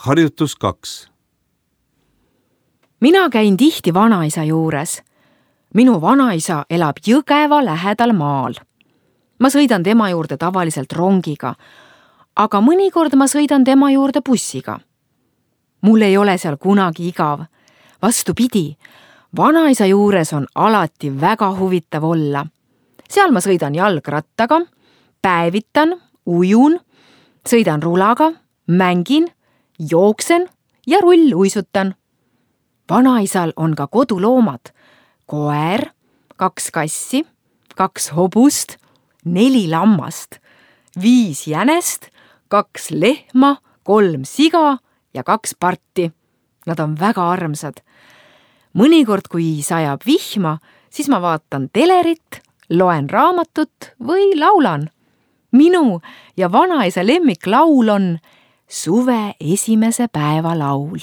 Harjutus 2. Mina käin tihti vanaisa juures. Minu vanaisa elab Jõgeva lähedal maal. Ma sõidan tema juurde tavaliselt rongiga, aga mõnikord ma sõidan tema juurde bussiga. Mul ei ole seal kunagi igav. Vastupidi, vanaisa juures on alati väga huvitav olla. Seal ma sõidan jalgrattaga, päevitan, ujun, sõidan rulaga, mängin, jooksen ja rulluisutan. Vanaisal on ka koduloomad, koer, 2 kassi, 2 hobust, 4 lammast, 5 jänest, 2 lehma, 3 siga ja 2 parti. Nad on väga armsad. Mõnikord, kui sajab vihma, siis ma vaatan telerit, loen raamatut või laulan. Minu ja vanaisa lemmiklaul on suve esimese päeva laul.